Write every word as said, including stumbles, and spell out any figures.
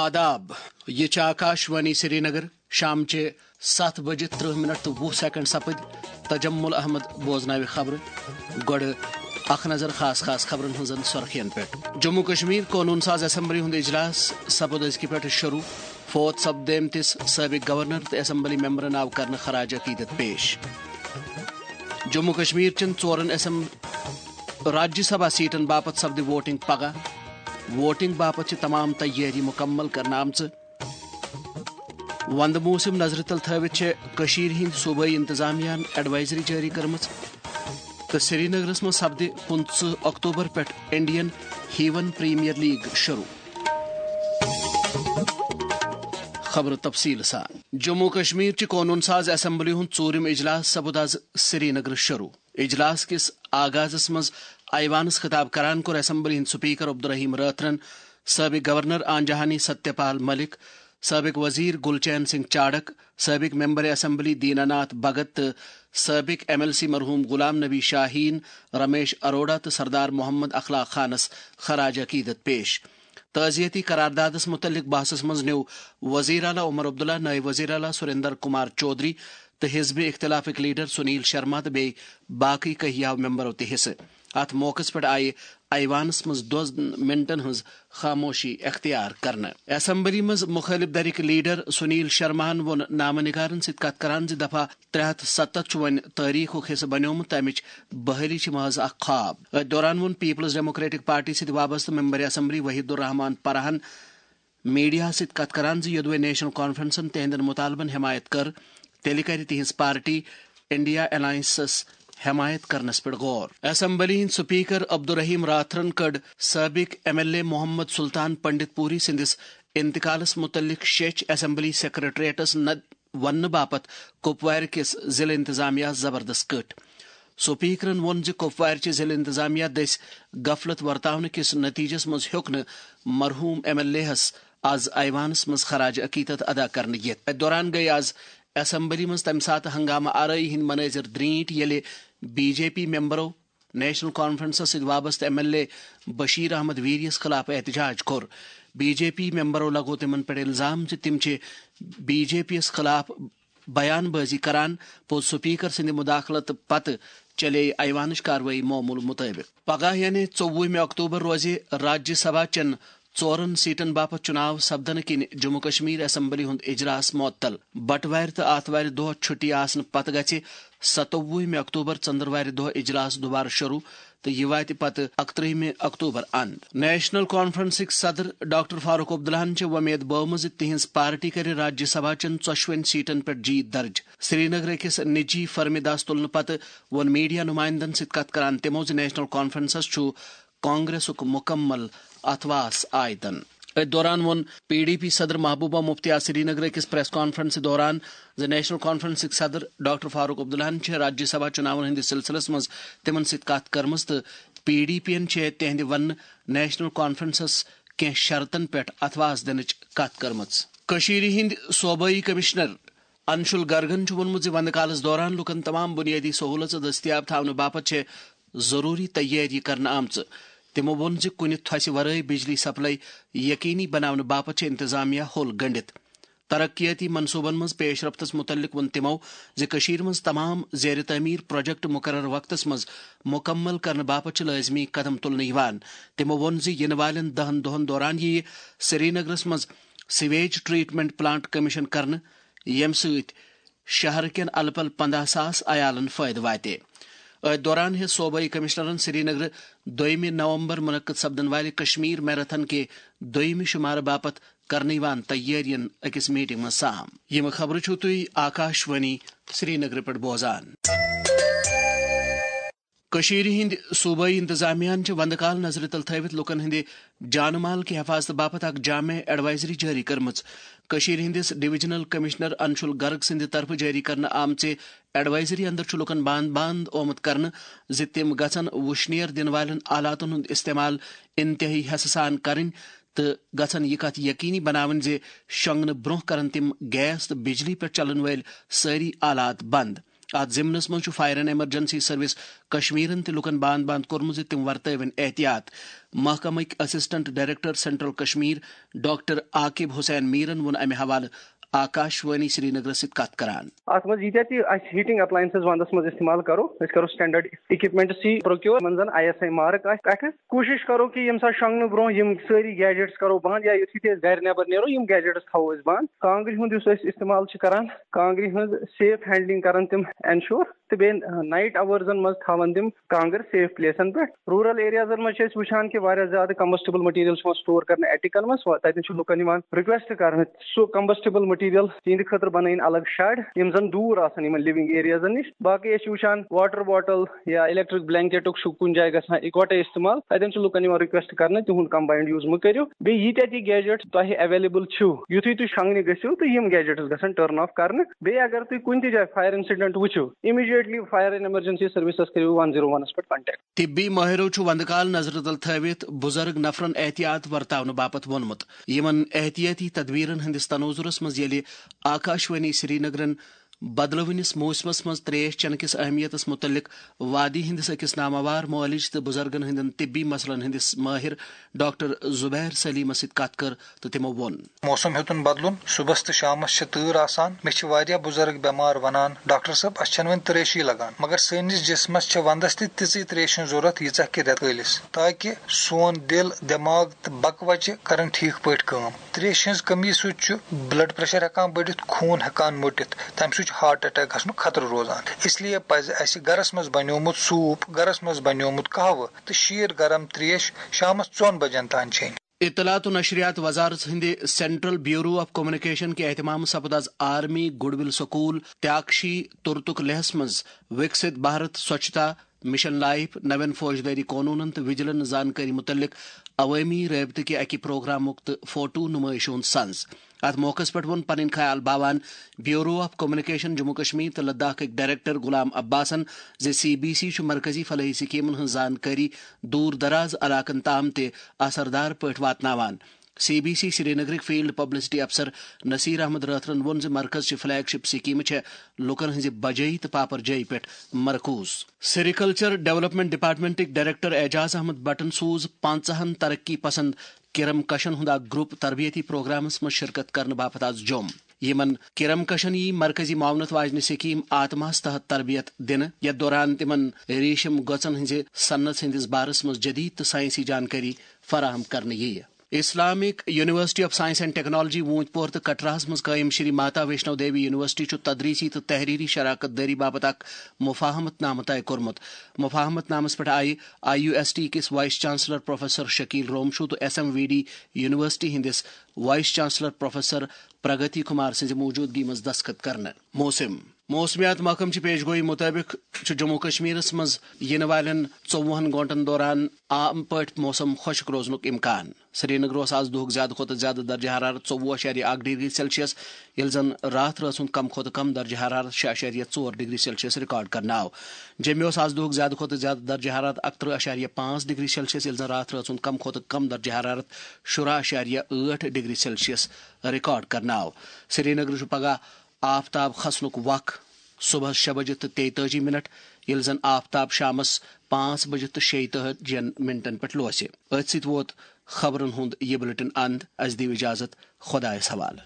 آداب، یہِ چھِ آکاش وانی سرینگر۔ شامچہِ ستھ بجہِ ترٕہ منٹ تہٕ وُہ سیکنڈ سپٕدۍ۔ تجمل احمد بوزناوِ خبرٕ۔ گۄڈٕ اکھ نظر خاص خاص خبرن ہٕنزن سرخین پٮ۪ٹھ۔ جموں کشمیر قونوٗن ساز اسمبلی ہُنٛد اجلاس سپُد أزکہِ پٮ۪ٹھٕ شروع۔ فوت سپدیمتِس سٲبق گورنر تہٕ اسمبلی ممبرن آو کرنہٕ خراج عقیدت پیش۔ جموں کشمیر چٮ۪ن ژورن اسم-، راجیہ سبھا سیٹن باپتھ سپدِ ووٹنگ پگاہ۔ ووٹنگ باپتھ چھِ تمام تیٲری مکمل کرنہٕ آمژٕ۔ وندٕ موسم نظرِ تل تھٲوِتھ چھےٚ کٔشیٖرِ ہٕنٛدۍ صوبٲئی انتظامیہ ہن ایڈوائزری جٲری کٔرمٕژ تہٕ سرینگرس منٛز سپدِ پٕنٛژٕہ اکتوبر پٮ۪ٹھ انڈین ہیون پریمیئر لیگ شروع۔ خبرٕ تفصیٖل سان۔ جموں کشمیر چہِ قونوٗن ساز اسمبلی ہُنٛد ژوٗرِم اجلاس سپُد از سرینگرٕ شروع۔ اجلاس کِس آغازس منٛز ایوانس خطاب کران کوٚر اسمبلی ہٕنٛدۍ سپیکر عبدالرحیم رٲتھرن سٲبق گورنر آنجہانی ستیہ پال ملک، سٲبق وزیر گل چین سنگھ چاڑک، سٲبق ممبر اسمبلی دینا ناتھ بھگت تہٕ سٲبق ایم ایل سی مرحوم غلام نبی شاہین، رمیش اروڑا تہٕ سردار محمد اخلاق خانس خراج عقیدت پیش۔ تعزیتی قراردادس متعلق بحثس منٛز نیوٗ وزیر اعلیٰ عمر عبداللہ، نائب وزیر اعلیٰ سریندر کمار چودھری تہٕ حزب اختلافٕکۍ لیڈر سنیل شرما تہٕ بیٚیہِ باقٕے کہیاو ممبرو تہِ حصہٕ۔ اتھ موقعس پٮ۪ٹھ آیہِ ایوانس منٛز دۄن منٹن ہٕنٛز خاموشی اختیار کرنہٕ۔ اسمبلی منٛز مخالف دھرٕکۍ لیڈر سنیل شرماہن ووٚن نامہ نگارن سۭتۍ کتھ کران زِ دفعہ ترٛےٚ ہتھ ستتھ چھُ وۄنۍ تٲریخُک حصہٕ بنیومُت، تہٕ امِچ بحٲلی چھِ محض اکھ خواب۔ أتھۍ دوران ووٚن پیپلز ڈیموکریٹک پارٹی سۭتۍ وابستہٕ ممبر اسمبلی وحید الرحمان پرہن میڈیاہس سۭتۍ کتھ کران زِ یوٚدوے نیشنل کانفرنسن تہنٛدٮ۪ن مطالبن حمایت کٔر، تیٚلہِ کرِ تِہنٛز پارٹی انڈیا الائنسس حمایت کرنس پٮ۪ٹھ غور۔ اسمبلی ہٕنٛدۍ سپیکر عبدالرحیم راتھرن کٔڈ سٲبق M L A Mohammad Sultan Panditpuri سٕنٛدِس انتقالس متعلق شیچھ اسمبلی سیکرٹریٹس نہ وننہٕ باپتھ کپوارِ کِس ضلع انتظامیہ زبردست کٔٹھۍ۔ سپیکرن ووٚن زِ کپوارِ چہِ ضلع انتظامیہ دٔسۍ غفلت ورتاونہٕ کِس نتیجس منٛز ہیوٚک نہٕ مرحوم ایم ایل اے ہس از ایوانس منٛز خراج عقیدت ادا کرنہٕ یِتھ۔ اتھ دوران گٔیہِ از اسمبلی منٛز تمہِ ساتہٕ ہنگامہٕ آرٲیی ہٕنٛدۍ منٲظر درینٹھۍ، ییٚلہِ بی جے پی ممبرو نیشنل کانفرنسس سۭتۍ وابستہٕ M L A Bashir Ahmad ویریس خلاف احتجاج کوٚر۔ بی جے پی ممبرو لگوو تِمن پٮ۪ٹھ الزام زِ تِم چھِ بی جے پی یَس خلاف بیان بازی کران۔ پوٚز سپیکر سٕنٛدِ مداخلت پتہٕ چلے ایوانٕچ کاروٲیی معمول مطٲبق۔ پگاہ یعنی ژوٚوُہمہِ اکتوبر روزِ راجیہ سبھا چٮ۪ن ژورن سیٹن باپتھ چُناو سپدنہٕ کِنۍ جموں کشمیر اسمبلی ہُنٛد اجلاس معطل۔ بٹوارِ تہٕ آتھوارِ دۄہ چھُٹی آسنہٕ پتہٕ گژھِ ستووُہمہِ اکتوبر ژٔنٛدٕروارِ دۄہ اجلاس دُبارٕ شروع تہٕ یہِ واتہِ پتہٕ اکترٕہمہِ اکتوبر اند۔ نیشنل کانفرنسٕکۍ صدر ڈاکٹر فاروق عبداللہن چھِ وۄمید بٲومٕژ زِ تِہنٛز پارٹی کرِ راجیہ سبھا چٮ۪ن ژۄشوٕنی سیٹن پٮ۪ٹھ جیت درج۔ سرینگرٕ أکِس نجی فرمہِ دس تُلنہٕ پتہٕ ووٚن میڈیا نمائندن سۭتۍ کتھ کران تِمو زِ نیشنل کانفرنسس چھُ کانگریسُک مکمل اتھواس عائدن۔ أتھۍ دوران ووٚن پی ڈی پی صدر محبوبہ مفتی آز سرینگرٕ أکِس پریس کانفرنسہِ دوران زِ نیشنل کانفرنسٕکۍ صدر ڈاکٹر فاروق عبداللہن چھِ راجیہ سبھا چُناون ہٕنٛدِس سلسلس منٛز تِمن سۭتۍ کَتھ کٔرمٕژ تہٕ پی ڈی پی یَن چھِ تِہنٛدِ وننہٕ نیشنل کانفرنسس کینٛہہ شرطن پٮ۪ٹھ اتھواس دِنٕچ کَتھ کٔرمٕژ۔ کٔشیٖرِ ہٕنٛدۍ صوبٲئی کمشنر انشول گرگن چھُ ووٚنمُت زِ وندٕ کالس دوران لوٗکن تمام بُنیٲدی سہوٗلژٕ دٔستیاب تھاونہٕ باپتھ چھِ ضروٗری تیٲری کرنہٕ آمژٕ۔ تِمو ووٚن زِ کُنہِ تھۄسہِ ورٲے بجلی سپلائی یقینی بناونہٕ باپتھ چھِ انتظامیہ ہوٚل گنڈِتھ۔ ترقیاتی منصوبن منٛز پیش رفتس متعلق ووٚن تِمو زِ کٔشیٖرِ منٛز تمام زیر تعمیٖر پروجیکٹ مقرر وقتس منٛز مکمل کرنہٕ باپتھ چھِ لٲزمی قدم تُلنہٕ یِوان۔ تِمو ووٚن زِ یِنہٕ والٮ۪ن دَہَن دۄہَن دوران یِیہِ سرینگرَس منٛز سیویج ٹریٹمنٹ پلانٹ کمیشن کرنہٕ، ییٚمہِ سۭتۍ شہر کٮ۪ن الہٕ پلہٕ پنٛداہ ساس عیالَن فٲیدٕ واتہِ۔ أتھۍ دوران ہیٚژ صوبٲئی کمشنرن سرینگرٕ دوٚیمہِ نومبر منعقد سپدن والہِ کشمیر میراتھن کہِ دوٚیمہِ شمارٕ باپتھ کرنہٕ یِوان تیٲرین أکِس میٹنگ منٛز سام۔ یِم خبرٕ چھِو تُہۍ آکاش وانی سرینگرٕ پٮ۪ٹھ بوزان۔ کٔشیٖرِ ہٕنٛدۍ صوبٲئی انتظامیہ ہن چھِ وندٕ کال نظرِ تل تھٲوِتھ لوٗکن ہٕنٛدِ جان مال کہِ حفاظتہٕ باپتھ اکھ جامع ایڈوائزری جٲری کٔرمٕژ۔ کٔشیٖرِ ہٕنٛدِس ڈویژنل کمشنر انشول گرگ سٕنٛدِ طرفہٕ جٲری کرنہٕ آمژِ ایڈوائزری اندر چھُ لوٗکن باند باند آمُت کرنہٕ زِ تِم گژھن وُشنیر دِنہٕ والٮ۪ن آلاتن ہُنٛد استعمال انتہٲئی حسہٕ سان کرٕنۍ تہٕ گژھن یہِ کتھ یقینی بناوٕنۍ زِ شۄنگنہٕ برونٛہہ کرن تِم گیس تہٕ بجلی پٮ۪ٹھ چلن وٲلۍ سٲری آلات بند۔ اتھ ضمنس منٛز چھُ فائر اینڈ ایمرجنسی سروس کشمیرن تہِ لوٗکن باند باند کوٚرمُت زِ تِم ورتٲوِن احتیاط۔ محکمٕکۍ assistant director central Kashmir doctor Aqib Hussain میرن ووٚن امہِ حوالہٕ آکاش وانی سرینگرس سۭتۍ کتھ کران۔ اتھ منٛز ییٖتیٛاہ تہِ اسہِ ہیٹنگ اپلائنسز ونٛدس منٛز استعمال کرو، أسۍ کرو سٹینڈرڈ اکوپمنٹس تہِ پروکیور، یِمن زن آئی ایس آئی مارک آسہِ پٮ۪ٹھٕ۔ کوٗشش کرو کہِ ییٚمہِ ساتہٕ شۄنٛگنہٕ برونٛہہ یِم سٲری گیجٹس کرو بنٛد، یا یُتھُے تہِ أسۍ گرِ نٮ۪بر نیرو، یِم گیجٹس تھاوو أسۍ بنٛد۔ کانٛگرِ ہُنٛد یُس أسۍ استعمال چھِ کران، کانٛگرِ ہٕنٛز سیف ہینڈلنگ کرن تِم انشور، تہٕ بیٚیہِ نائٹ آورزن منٛز تھاوان تِم کانٛگٕر سیف پلیسن پٮ۪ٹھ۔ روٗرل ایریازن منٛز چھِ أسۍ وٕچھان کہِ واریاہ زیادٕ کمبسٹیبل مٹیریل چھُ یِوان سٹور کرنہٕ اٹیکن منٛز، تتٮ۪ن چھُ لُکن یِوان ریکویسٹ کرنہٕ سُہ کمبسٹیبل مٹیریل تِہنٛدِ خٲطرٕ بنٲیِن الگ شیڈ، یِم زن دوٗر آسن یِمن لِونگ ایریازن نِش۔ باقٕے أسۍ چھِ وٕچھان واٹر باٹل یا الیکٹرک بلینکٹُک چھُ کُنہِ جایہِ گژھان اِکوٹے استعمال، تتٮ۪ن چھُ لُکن یِوان ریکویسٹ کرنہٕ تِہُنٛد کمباینڈ یوٗز مہٕ کٔرِو۔ بیٚیہِ ییٖتیٛاہ تہِ گیجٹ تۄہہِ اویلیبل چھِو، یُتھُے تُہۍ شۄنٛگنہِ گٔژھِو تہٕ یِم گیجٹس گژھن ٹرن آف کرنہٕ۔ بیٚیہِ اگر تُہۍ کُنہِ تہِ جایہِ فائر انسیڈنٹ وٕچھِو، immediately fire and emergency services کٔرِو ون زیرو ونس پٮ۪ٹھ کانٹیکٹ۔ طبی مٲہرو چھُ وندٕ کال نظرِ تل تھٲوِتھ بُزرگ نفرن احتیاط ورتاونہٕ باپتھ ووٚنمُت۔ یِمن احتیاطی تدبیرن ہٕنٛدِس تناظرس منٛز ییٚلہِ آکاشوانی سرینگرن بدلوٕنِس موسمس منٛز تریش چنہٕ کِس اہمیتس مُتعلق وادی ہٕنٛدِس أکِس ناماوار معالج تہٕ بُزرگن ہٕنٛدٮ۪ن طبی مسلن ہٕنٛدِس مٲہِر ڈاکٹر زبیر سلیمس سۭتۍ کتھ کٔر تہٕ تِمو ووٚن۔ موسم ہیوٚتُن بدلُن، صُبحس تہٕ شامس چھِ تۭر آسان۔ مےٚ چھِ واریاہ بُزرگ بٮ۪مار ونان، "ڈاکٹر صٲب، اسہِ چھنہٕ وۄنۍ تریشی لگان۔" مگر سٲنِس جسمس چھِ ونٛدس تہِ تِژٕے تریشہِ ہٕنٛز ضروٗرت، ییٖژاہ کہِ رٮ۪تہٕ کٲلِس، تاکہِ سون دِل، دٮ۪ماغ تہٕ بکہٕ وچہِ کرن ٹھیٖک پٲٹھۍ کٲم۔ تریشہِ ہٕنٛز کٔمی سۭتۍ چھُ بلڈ پریشر ہٮ۪کان بٔڑِتھ، خوٗن ہٮ۪کان مٔٹِتھ، تمہِ سۭتۍ چھُ ہارٹ اٹیک گژھنُک خطرٕ روزان۔ اس لیے پزِ اسہِ گرس منٛز بنیومُت سوٗپ، گرس منٛز بنیومُت قہوٕ تہٕ شیٖر گرم تریش شامس ژۄن بجن تام چیٚنۍ۔ اطلاعات و نشریات وزارت ہٕنٛدِ سینٹرل بیورو آف کمیونیکیشن کہِ اہتمام سپُد از آرمی گڈ ول سکول تیاکشی تُرتُک لیہس منٛز وِکسِت بھارت سوچھتا مشن لائف، نوین فوجدٲری قونوٗنن تہٕ وجیلنس زانکٲری مُتعلق عوٲمی رٲبطہٕ کہِ اَکہِ پروگرامُک تہٕ فوٹو نُمٲیشہِ ہُنٛد سنز۔ اتھ موقعس پٮ۪ٹھ ووٚن پنٕنۍ خیال باوان bureau of communication Jammu Kashmir تہٕ لداخٕکۍ ڈائریکٹر غلام عباسن زِ سی بی سی چھُ مرکزی فلاحی سکیمن ہٕنٛز زانکٲری دوٗر دراز علاقن تام تہِ اثردار پٲٹھۍ واتناوان۔ سی بی سی سرینگرٕکۍ فیلڈ پبلسٹی افسر نصیر احمد رٲتھرَن ووٚن زِ مرکز چہِ فلیگ شپ سکیمہٕ چھےٚ لوٗکَن ہٕنٛزِ بجٲیی تہٕ پاپرجٲیی پٮ۪ٹھ مرکوز۔ سیریکلچر ڈیولپمنٹ ڈپارٹمنٹٕکۍ ڈائریکٹر اعجاز احمد بٹن سوٗز پانٛژہن ترقی پسند کرم کشن ہُنٛد اکھ گروپ تربیتی پروگرامس منٛز شرکت کرنہٕ باپتھ از جوٚم۔ یِمن کرم کشن یی مرکزی معاونت واجنہِ سکیٖم آتماہس تحت تربیت دِنہٕ، یتھ دوران تِمن ریشم گٔژن ہٕنٛزِ صنعت ہٕنٛدِس بارس منٛز جدید تہٕ سائنسی جانکٲری فراہم کرنہٕ یِیہِ۔ Islamic university of science and technology Awantipur تہٕ کٹراہس منٛز قٲیِم شری ماتا ویشنو دیوی یونیورسٹی چھُ تدریسی تہٕ تحریری شراکت دٲری باپتھ اکھ مفاہمت نامہٕ طے کوٚرمُت۔ مفاہمت نامس پٮ۪ٹھ آیہِ آئی یو ایس ٹی کِس vice chancellor professor Shakeel Romshoo تہٕ S M V D university ہٕنٛدِس وائس چانسلر پروفیسر پرگتی کمار سٕنٛزِ موجودگی منٛز دستخط کرنہٕ۔ موسم۔ موسمیات محکمہٕ چہِ پیش گوئی مُطٲبِق چھُ جموں کشمیرس منٛز یِنہٕ والٮ۪ن ژوٚوُہن گٲنٛٹن دوران عام پٲٹھۍ موسم خۄشک روزنُک امکان۔ سرینگر اوس آز دُہُک زیادٕ کھۄتہٕ زیادٕ درجہ حرارت ژوٚوُہ اَشاریہ اَکھ ڈگری سیلسیس، ییٚلہِ زَن راتھ رٲژ ہُنٛد کم کھۄتہٕ کم درجہ حرارت شےٚ اَشاریہ ژور ڈگری سیلسیس ریکارڈ کرنہٕ آو۔ جوٚمہِ اوس آز دُہُک زیادٕ کھۄتہٕ زیادٕ درجہ حرارت اَکترٕہ اَشاریہ پانٛژھ ڈگری سیلسیس، ییٚلہِ زَن راتھ رٲژ ہُنٛد کم کھۄتہٕ کم درجہ حرارت شُراہ اَشاریہ ٲٹھ ڈگری سیلسیس ریکارڈ کرنہٕ آو۔ سرینگر چھُ پگہہ آفتاب کھسنُک وق صبحس شےٚ بجہِ تہٕ تیتٲجی منٹ، ییٚلہِ زن آفتاب شامس پانٛژھ بجہِ تہٕ شیٚیہِ تٲجی منٹن پٮ۪ٹھ لوسہِ۔ أتھۍ سۭتۍ ووت خبرن ہُنٛد یہِ بلیٹن اند۔ اسہِ دِیِو اجازت، خۄدایس حوالہٕ۔